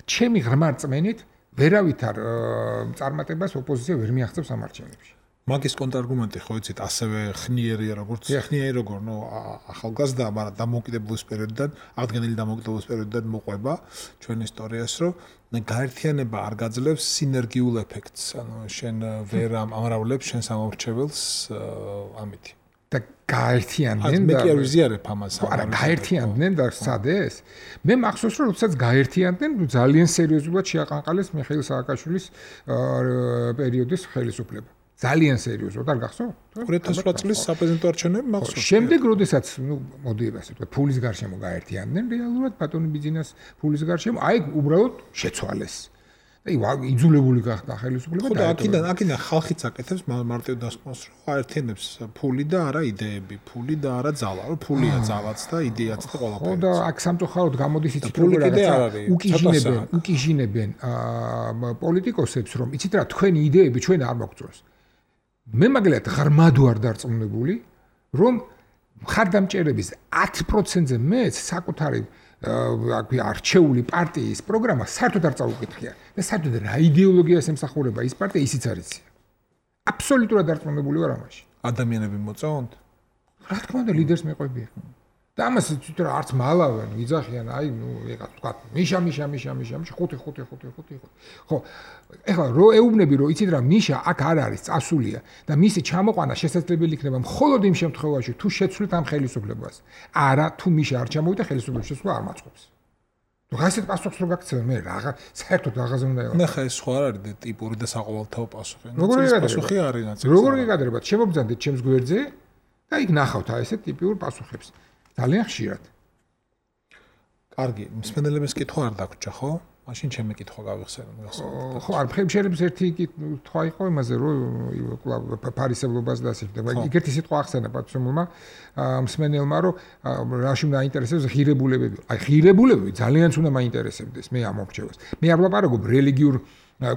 ჩემი ღრმა რწმენით ვერავითარ წარმატებას ოპოზიცია ვერ მიაღწევს ამ არჩევნებში. მაგის კონტრარგუმენტი ხო იცით, ასევე ხნიერია როგორც ხნიერი როგორ, ნუ ახალგაზრდა, მაგრამ დამოუკიდებლობის პერიოდიდან, აღდგენილი დამოუკიდებლობის პერიოდიდან მოყვება ჩვენ ისტორიას, რომ გაერთიანება არ გაძლევს სინერგიულ ეფექტს. ანუ შენ ვერ ამრავლებს შენს ამორჩეველს ამითი. და გაერთიანდნენ და მე კი არ ვიზიარებ ამას. არა, გაერთიანდნენ და სადეს? მე მახსოვს რომ როდესაც გაერთიანდნენ, ძალიან სერიოზულად შეაყანყალეს მიხეილ სააკაშვილის პერიოდის ხელისუფლება. ძალიან სერიოზულად, არ გახსოვთ? 2008 წლის საპრეზიდენტო არჩევნები მახსოვს. შემდეგ როდესაც, ნუ მოდი ასე ვთქვათ, ფულის გარშემო გაერთიანდნენ, რეალურად ბატონი ბიძინას ფულის გარშემო, აი უბრალოდ შეცვალეს. აი იძულებული გახდა ხელისუფლება და აქედან ხალხიც აკეთებს მარტივ დასკვნას რომ აერთიანებს ფული და არა იდეები, ფული და არა ძალა, რომ ფულია ძალაც და იდეაც და ყველაფერი. ხო და აქ სამწუხაროდ გამოდის იცით რომ უკიჟინებენ პოლიტიკოსებს რომ იცით რა თქვენი იდეები ჩვენ არ მოგწონს. მე მაგალითად ღრმად ვარ დარწმუნებული რომ მხარდამჭერების 10%-ზე მეც საკუთარი არჩეული პარტიის პროგრამა საერთოდ არ წაუკითხია და საერთოდ რა იდეოლოგიას ემსახურება ის პარტია ისიც არ იცი. აბსოლუტურად დარწმუნებული ვარ ამაში. ადამიანები მოწონთ? რა თქმა უნდა ლიდერს მეყვებიან. და ამას თვითონ არც მალავენ, ვიძახიან, აი ნუ ეხლა თქვა მიშა 5. ხო, ეხლა რო ეუბნები რომ იცით რა მიშა აქ არ არის წასულია და მისი ჩამოყვანა შესაძლებელი იქნება მხოლოდ იმ შემთხვევაში თუ შეცვლით ამ ხელისუფლებას. არა, თუ მიშა არ ჩამოვიდა ხელისუფლების შესვლა არ მაწყობს. ნუ ასეთ პასუხს რო გაქცევენ მე რა საერთოდ რაღაცა უნდა იყოს. ნახე ეს სხვა არ არის ტიპური და საყოველთაო პასუხი. როგორი პასუხი არის ნაცნობი. როგორი გაგადრებათ? შემოგძანდეთ ჩემს გვერდზე და იქ ნახავთ აი ესეთ ტიპიურ პასუხებს. ძალიან ხშირად. კარგი, მსმენელებს კითხვა არ დაგვრჩა, ხო? მაშინ ჩემი კითხვა გავიხსენო, გასაგებია. ხო, არ შეიძლება ერთი კითხვა იყო იმაზე, რომ ფარისევლობას და ასე შემდეგ. ეგეთი სიტყვა ახსენა პატრონმა, მსმენელმა, რომ რაში მაინტერესებს ღირებულებები. აი, ღირებულებები ძალიანაც უნდა მაინტერესებდეს მე ამ მომრჩევას. მე არ ვლაპარაკობ რელიგიურ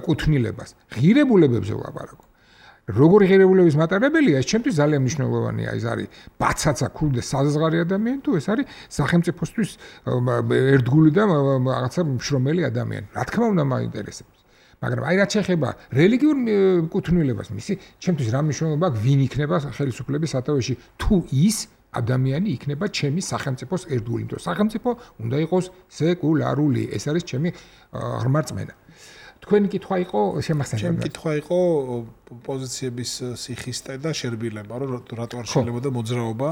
კუთვნილებას. ღირებულებებზე ვლაპარაკობ. როგორი ღირებულების მატარებელია, ეს ჩემთვის ძალიან მნიშვნელოვანია. ეს არის ბაცაცა ქული და საზღარი ადამიანი თუ ეს არის სახელმწიფოსთვის ერთგული და რაღაცა მშრომელი ადამიანი. რა თქმა უნდა მაინტერესებს. მაგრამ აი რაც შეეხება რელიგიურ კუთვნილებას, მისი ჩემთვის რა მნიშვნელობა აქვს ვინ იქნება ხელისუფლების სათავეში თუ ის ადამიანი იქნება ჩემი სახელმწიფოს ერთგული, იმიტომ სახელმწიფო უნდა იყოს სეკულარული. ეს არის ჩემი ღრმა რწმენა. თქვენი კითხვა იყო შემახსენებელი. ჩემი კითხვა იყო პოზიციების სიხისტე და შერბილება, რომ რატო არ შეიძლება და მოძრაობა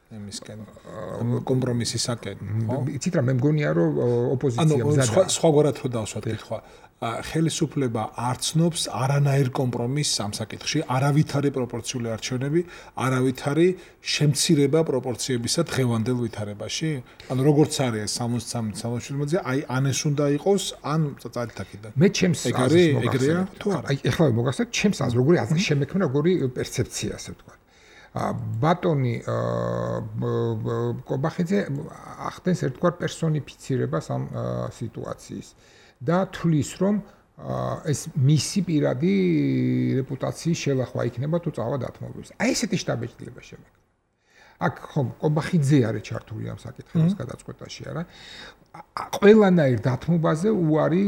იმისკენ კომპრომისისაკენ, ხო? იცით რა, მე მგონია რომ ოპოზიცია მზადაა. სხვაგვარად თუ დავსვათ კითხვა. ხელისუფლება არ ცნობს არანაირ კომპრომისს ამ საკითხში, არავითარი პროპორციული არჩევნები, არავითარი შემცირება პროპორციებისა დღევანდელ ვითარებაში. ანუ როგორც არის 63-67-ზე, აი ან ეს უნდა იყოს, ან წარითაკიდან. მე ჩემს აზრს ეგრეა თუ არა? აი ეხლა მოგახსენეთ ჩემს აზრს, როგორი აზრი შემექმნა, როგორი პერცეფცია, ასე ვთქვა. ბატონი კობახიძე ახდენს ერთგვარ პერსონიფიცირებას ამ სიტუაციის. და თulis რომ ეს მისი პირადი რეპუტაციის შელახვა იქნება თუ წავა დათმობებს. აი ესეთი შტაბეჭდილება შემექმნა. აქ ხომ კობახიძე არის ჩართული ამ საკითხების გადაწყვეტაში, არა? ყველანაირ დათმობაზე უარი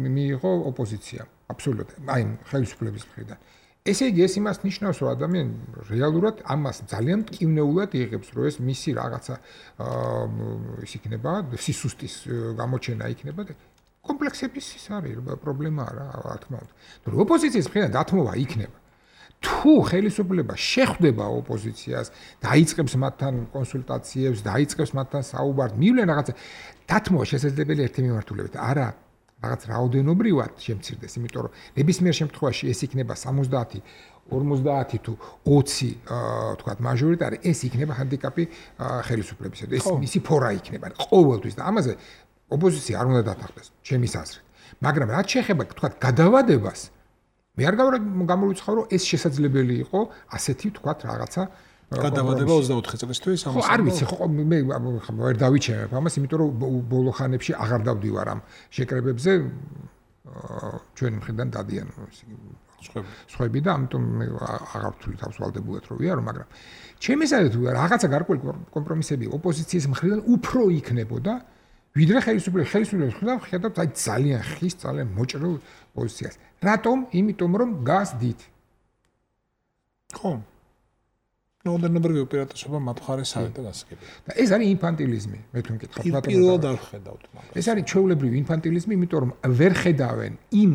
მიიღო ოპოზიციამ. აბსოლუტურად. აი ხელისუფლების მხრიდან. ესე იგი ეს იმას ნიშნავს, რომ ადამიანი რეალურად ამას ძალიან მტკივნეულად იღებს, რომ ეს მისი რაღაცა ის იქნება, სისუსტის გამოჩენა იქნება და კომპლექსების ის არის პრობლემა რა თქმა უნდა. თუ ოპოზიციის მხრიდან დათმობა იქნება. თუ ხელისუფლება შეხვდება ოპოზიციას, დაიწყებს მათთან კონსულტაციებს, დაიწყებს მათთან საუბარს, მივლენ რაღაცა დათმობა შესაძლებელი ერთი მიმართულებით. არა, რაღაც რაოდენობრივად შემცირდეს, იმიტომ რომ ნებისმიერ შემთხვევაში ეს იქნება 70, 50 თუ 20 თქვათ მაჟორიტარი, ეს იქნება ჰანდიკაპი ხელისუფლებისა და ეს მისი ფორა იქნება ყოველთვის და ამაზე ოპოზიცია არ უნდა დათანხმდეს, ჩემის აზრით. მაგრამ რაც შეეხება თქვათ გადავადებას, მე არ გამოვიცხავ, რომ ეს შესაძლებელი იყო ასეთი თქვათ რაღაცა გადავადება 24 წლისთვის ამას. ხო, არ ვიცი, ხო მე ვერ დავიჩემებ ამას, იმიტომ რომ ბოლო ხანებში აღარ დავდივარ ამ შეკრებებზე ჩვენი მხრიდან დადიან სხვები და ამიტომ მე აღარ ვთვლი თავს ვალდებულად რომ ვიარო, მაგრამ ჩემი აზრით რაღაცა გარკვეული კომპრომისები ოპოზიციის მხრიდან უფრო იქნებოდა ვიდრე ხელისუფლების მხრიდან ხედავთ აი ძალიან ხის, ძალიან მოჭრილ პოზიციას. რატომ? იმიტომ რომ გასდით. ხო. ნოდერნობრივი უპირატესობა მათ მხარეს არის და გასაგებია. და ეს არის ინფანტილიზმი, მე თუ მკითხავთ ბატონო. პირველად არ ხედავთ მაგას. ეს არის ჩვეულებრივი ინფანტილიზმი, იმიტომ რომ ვერ ხედავენ იმ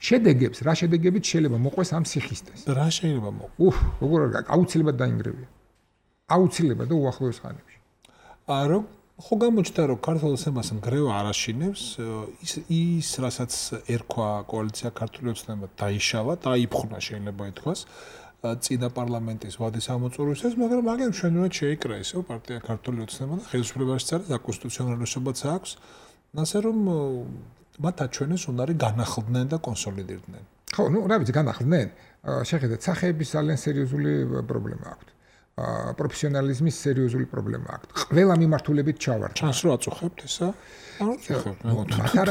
შედეგებს, რა შედეგებით შეიძლება მოყვეს ამ სიხისტეს. რა შეიძლება მოყვეს? როგორ არის? აუცილებლად დაინგრევია. აუცილებლად და უახლოეს ხანებში. რომ ხო გამოჩნდა რომ ქართულ ოცნებას ნგრევა არ აშინებს, ის რასაც ერქვა კოალიცია ქართული ოცნება დაიშალა, დაიფხნა შეიძლება ითქვას. წინა პარლამენტის ვადის ამოწურვისას, მაგრამ მაგენ ჩვენურად შეიკრა ესო პარტია ქართული ოცნება და ხელისუფლებაში წარს და კონსტიტუციონალურობაც აქვს. ასე რომ მათ აჩვენეს უნარი განახლდნენ და კონსოლიდირდნენ. ხო, ნუ რა ვიცი, განახლდნენ. შეხედეთ, სახეების ძალიან სერიოზული პრობლემა აქვთ. პროფესიონალიზმის სერიოზული პრობლემა აქვთ. ყველა მიმართულებით ჩავარდა. ჩანს რომ აწუხებთ ესა? არ აწუხებთ.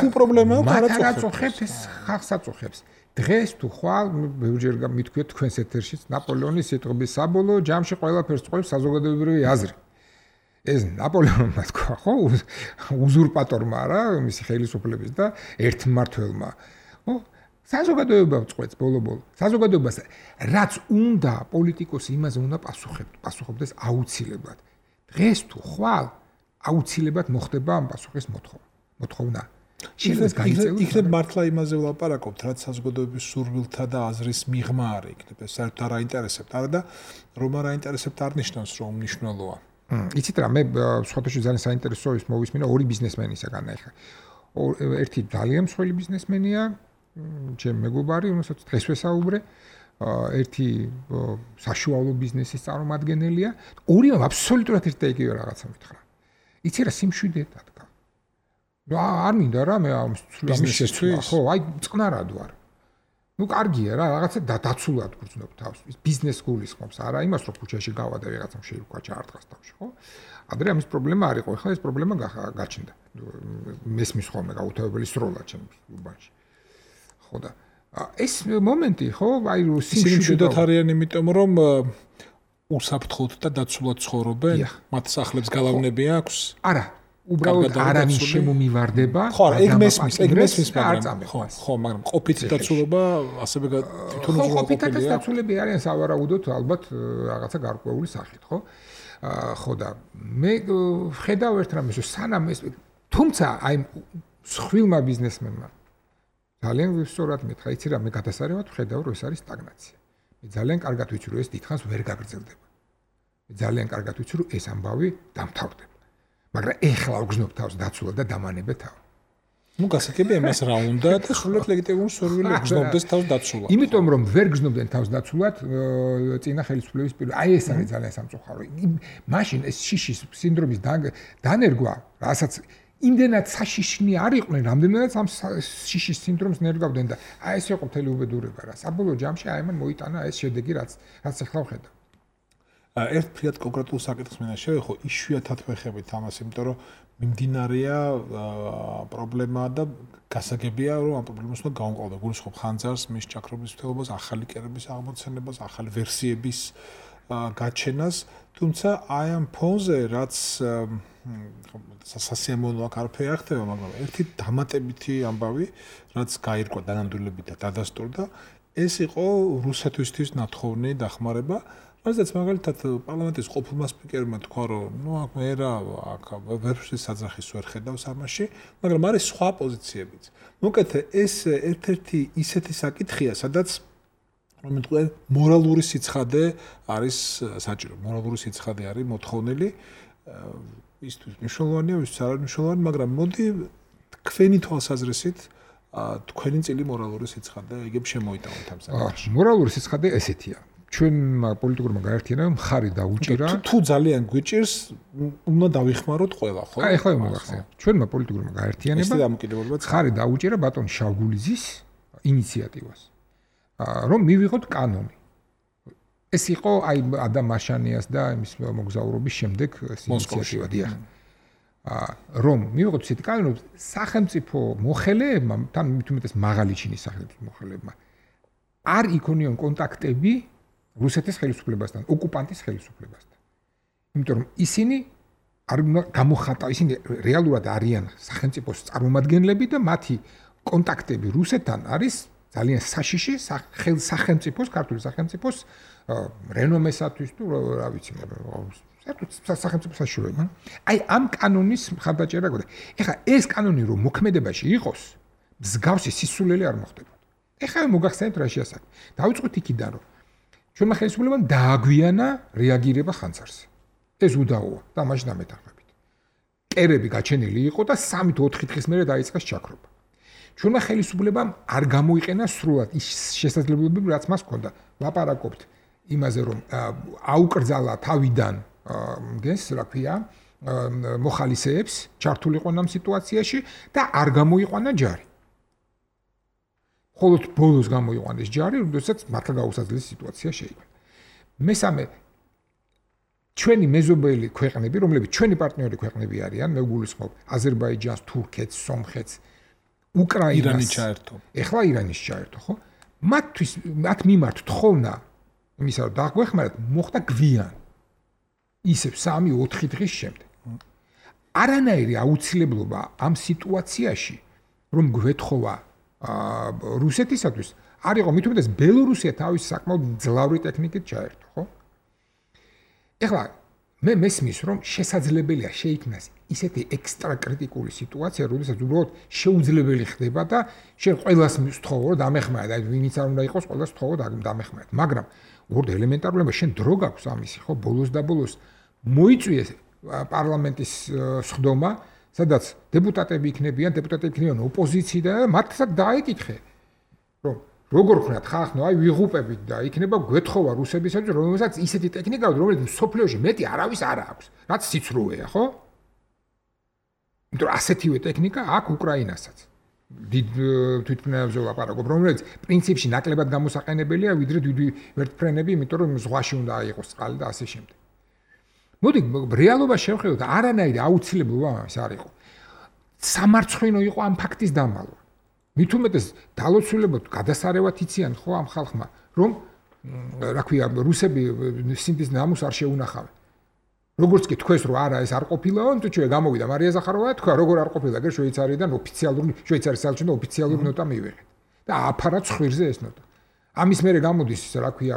თუ პრობლემა აქვს, არ აწუხებთ, ეს ხალხს აწუხებს. დღეს თუ ხვალ ბევრჯერ მithქვიეთ თქვენს ეთერშიც ნაპოლეონის სიტყვების საბოლოო ჯამში ყველაფერს წყვეტს საზოგადოებრივი აზრი. ეს ნაპოლეონმა თქვა, ხო, უზურპატორმა რა, მისი ხელისუფლების და ერთმმართველმა. ხო, საზოგადოება წყვეტს ბოლო-ბოლო. საზოგადოებას რაც უნდა პოლიტიკოსი იმაზე უნდა პასუხობდეს აუცილებლად. დღეს თუ ხვალ აუცილებლად მოხდება ამ პასუხის მოთხოვნა. იქნებ მართლა იმაზე ვლაპარაკობთ, რაც საზოგადოების სურვილთა და აზრის მიღმა არის, იქნებ ეს საერთოდ არ აინტერესებთ, არა და რომ არ აინტერესებთ არ ნიშნავს რომ მნიშვნელოვანია. იცით რა, მე სხვადასხვა ძალიან საინტერესო ის მოვისმინა ორი ბიზნესმენისაგან ახლა. ერთი ძალიან მსხვილი ბიზნესმენია, ჩემ მეგობარი, რომელსაც დღეს ვესაუბრე, ერთი საშუალო ბიზნესის წარმომადგენელია, ორივე აბსოლუტურად ერთ და იგივე რაღაცა მითხრა. იცი რა, სიმშვიდე დადგა. არ მინდა რა მე ამ ბიზნესისთვის, ხო, აი წყნარად ვარ. ნუ კარგია რა, რაღაცა დაცულად გრძნობ თავს. ბიზნეს გულისხმობს, არა იმას რომ ქუჩაში გავა და რაღაცამ შეირქვა ჩაარტყას თავში, ხო? ადრე ამის პრობლემა არ იყო, ახლა ეს პრობლემა გაჩნდა. მესმის ხოლმე გაუთავებელი სროლა ჩემს უბანში. ხო და ეს მომენტი, ხო, აი სიმშვიდეთ არიან იმიტომ რომ უსაფრთხოდ და დაცულად ცხოვრობენ, მათ სახლებს გალავნები აქვს? არა. უბრალოდ არავინ შემომივარდება. ხო, ეგ მესმის, მაგრამ ხო, მაგრამ ყოფითი დაცულობა ასევე თვითონ უზრუნველყოფილია. ხო, ყოფითი დაცულები არიან სავარაუდოდ ალბათ რაღაცა გარკვეული სახით, ხო? ხო და მე ხედავ ერთ რამეს, სანამ ეს თუმცა აი სხვილმა ბიზნესმენმა ძალიან სწორად მეთქა, იცი რა, მე გადასარევად ვხედავ, რომ ეს არის სტაგნაცია. მე ძალიან კარგად ვიცი, რომ ეს დიდხანს ვერ გაგრძელდება. მე ძალიან კარგად ვიცი, რომ ეს ამბავი დამთავრდება. მაგრამ ეხლა უგზნობ თავს დაცულად და დამანებე თავი. ნუ გასაგებია იმას რა უნდა და სრულად ლეგიტიმური სურვილი გზნობდეს თავს დაცულად. იმიტომ რომ ვერ გზნობდნენ თავს დაცულად წინა ხელისუფლების პირველ აი ეს არის ძალიან სამწუხარო. მაშინ ეს შიშის სინდრომის დანერგვა, რასაც იმდენად საშიშნი არ იყვნენ, რამდენადაც ამ შიშის სინდრომს ნერგავდნენ და აი ეს იყო მთელი უბედურება რა. საბოლოო ჯამში აი მან მოიტანა ეს შედეგი, რაც ახლა ვხედავ. ერთ ფრიად კონკრეტულ საკითხს მინდა შევეხო, იშვიათად ვეხებით ამას, იმიტომ რომ მიმდინარეა პრობლემა და გასაგებია, რომ ამ პრობლემას უნდა გავამყავდეთ. გულისხმობ ხანძარს, მის ჩაქრობის მთლობას, ახალი კერების აღმოცენებას, ახალი ვერსიების გაჩენას, თუმცა აი ამ ფონზე, რაც სასიამოვნო აქ არაფერი არ ხდება, მაგრამ ერთი დამატებითი ამბავი, რაც გაირკვა დანამდვილებით და დადასტურდა, ეს იყო რუსეთისთვის ნათხოვნი დახმარება. რადგან მაგალითად პარლამენტის ყოფილმა სპიკერმა თქვა, რომ ნუ აქ მე რა აქ ვერშის საძახის ვერ ხედავს ამაში, მაგრამ არის სხვა პოზიციებიც. მოკეთე ეს ერთ-ერთი ისეთი საკითხია, სადაც რომელთქვე მორალური სიცხადე არის საჭირო. მორალური სიცხადე არის მოთხოვნილი ისთვის მნიშვნელოვანია, ვის არ არის მნიშვნელოვანი, მაგრამ მოდი თქვენი თვალსაზრისით თქვენი წილი მორალური სიცხადე იგებ შემოიტანოთ ამ საკითხში. მორალური სიცხადე ესეთია. ჩვენმა პოლიტიკურმა გაერთიანებამ მხარი დაუჭირა. თუ ძალიან გვიჭირს, უნდა დავიხმაროთ ყველა, ხო? აი, ახლა მოგახსენე. ჩვენმა პოლიტიკურმა გაერთიანებამ მხარი დაუჭირა ბატონ შავგულიძის ინიციატივას. რომ მივიღოთ კანონი. ეს იყო აი ადამ მაშანიას და იმის მოგზაურობის შემდეგ ინიციატივა დიახ. რომ მივიღოთ ისეთი კანონი, რომ სახელმწიფო მოხელეებმა, თან მithumetes მაღალი ჩინის სახელმწიფო მოხელეებმა არ იქონიონ კონტაქტები რუსეთის ხელისუფლებასთან, ოკუპანტის ხელისუფლებასთან. იმიტომ რომ ისინი არ გამოხატა, ისინი რეალურად არიან სახელმწიფოს წარმომადგენლები და მათი კონტაქტები რუსეთთან არის ძალიან საშიში სახელმწიფოს, ქართული სახელმწიფოს რენომესათვის თუ რა ვიცი, სახელმწიფო საშუალება. აი ამ კანონის მხარდაჭერა გქონდა. ეხლა ეს კანონი რომ მოქმედებაში იყოს, მსგავსი სისულელი არ მოხდება. ეხლა მოგახსენეთ რა შეასაკ. დავიწყოთ იქიდან რომ ჩვენმა ხელისუფლებამ დააგვიანა რეაგირება ხანძარზე. ეს უდაოა და მაშინ ამეთანხმებით. კერები გაჩენილი იყო და 3-4 დღის მერე დაიწყეს ჩაქრობა. ჩვენმა ხელისუფლებამ არ გამოიყენა სრულად ის შესაძლებლობები, რაც მას ჰქონდა. ლაპარაკობთ იმაზე, რომ აუკრძალა თავიდან მგეს, რა ქვია, მოხალისეებს, ჩართულიყო ამ სიტუაციაში და არ გამოიყვანა ჯარი. ხოლო ბოლოს გამოიყვანეს ჯარი, როდესაც მართლა გაუსაძლისი სიტუაცია შეიქმნა. მესამე ჩვენი მეზობელი ქვეყნები, რომლებიც ჩვენი პარტნიორი ქვეყნები არიან, მე გულისხმობ აზერბაიჯანს, თურქეთს, სომხეთს, უკრაინას, ირანის ჩაერთო. ეხლა ირანის ჩაერთო, ხო? მათ მიმართ თხოვნა იმისა, რომ დაგვეხმაროთ, მოხდა გვიან. ისევ 3-4 დღის შემდეგ. არანაირი აუცილებლობა ამ სიტუაციაში, რომ გვეთხოვა რუსეთისათვის არ იყო, მithumetes ბელორუსია თავის საკმაოდ ძლავრი ტექნიკით ჩაერთო, ხო? ეხლა მე მესმის, რომ შესაძლებელია შეიქმნას ისეთი ექსტრა კრიტიკული სიტუაცია, როდესაც უბრალოდ შეუძლებელი ხდება და შენ ყველას მსთხოვო, რომ დამეხმარა და ვინიც არ უნდა იყოს, ყველას მსთხოვო და დამეხმარა. მაგრამ უბრალოდ ელემენტარულად შენ დრო გაქვს ამისი, ხო? ბოლოს და ბოლოს მოიწვიეს პარლამენტის სხდომა, სადაც დეპუტატები იქნებიან ოპოზიციიდან და მათაც დაეკითხე, რომ როგორ ხნათ ხახნო, აი ვიღუპებით და იქნება გვეთხოვა რუსებისათვის, რომელსაც ისეთი ტექნიკა აქვს, რომელიც სოფლიოში მეტი არავის არ აქვს, რაც სიცრუეა, ხო? იმიტომ რომ ასეთივე ტექნიკა აქვს უკრაინასაც. დიდ თვითმფრინავებზე ლაპარაკობ, რომელიც პრინციპში ნაკლებად გამოსაყენებელია, ვიდრე დიდი ვერტფრენები, იმიტომ რომ ზღვაში უნდა აიღოს წყალი და ასე შემდეგ. მოდი რეალობა შევხედოთ, არანაირი აუცილებლობა ამის არ იყო. სამარცხვინო იყო ამ ფაქტის დამალვა. მithumetes დალოცულებოდ გადასარევად იციან ხო ამ ხალხმა, რომ რა ქვია, რუსები სინდის ნამუს არ შეუნახავენ. როგორც კი თქვეს რომ არა ეს არ ყოფილაო, თუჩვე გამოვიდა მარია ზახაროვა თქვა როგორ არ ყოფილა გერ შვეიცარიიდან ოფიციალური შვეიცარიის საელჩოდან ოფიციალური ნოტა მივიღეთ და აფარა ცხვირზე ეს ნოტა. ამის მერე გამოდის რა ქვია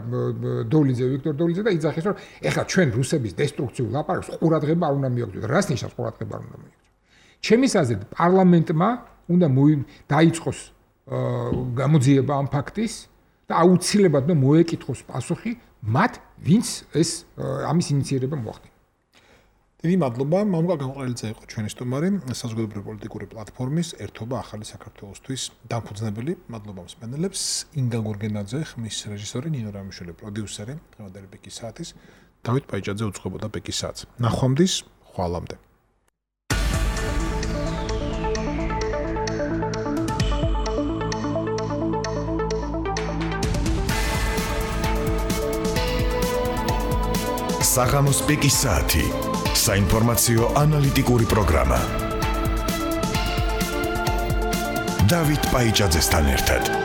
დოლიძე ვიქტორ დოლიძე და იძახეს რომ ეხლა ჩვენ რუსების დესტრუქციულ ლაპარაკს ყურადღება არ უნდა მიაგდოთ. რას ნიშნავს ყურადღება არ უნდა მიაგდოთ? ჩემის აზრით პარლამენტმა უნდა დაიწყოს გამოძიება ამ ფაქტის და აუცილებლად მოეკითხოს პასუხი მათ ვინც ეს ამის ინიციირება მოახდინა. დიდი მადლობა. მამუკა გამყრელიძე იყო ჩვენი სტუმარი საზოგადოებრივი პოლიტიკური პლატფორმის ერთობა ახალი საქართველოსთვის დამფუძნებელი. მადლობა მსმენელებს. ინგა გორგენაძე, ხმის რეჟისორი, ნინო რამიშვილი პროდიუსერი, დღევანდელი პიკის საათის, დავით პაიჭაძე უძღვებოდა პიკის საათს. ნახვამდის, ხვალამდე. საღამოს პიკის საათი. საინფორმაციო ანალიტიკური პროგრამა. დავით პაიჭაძესთან ერთად.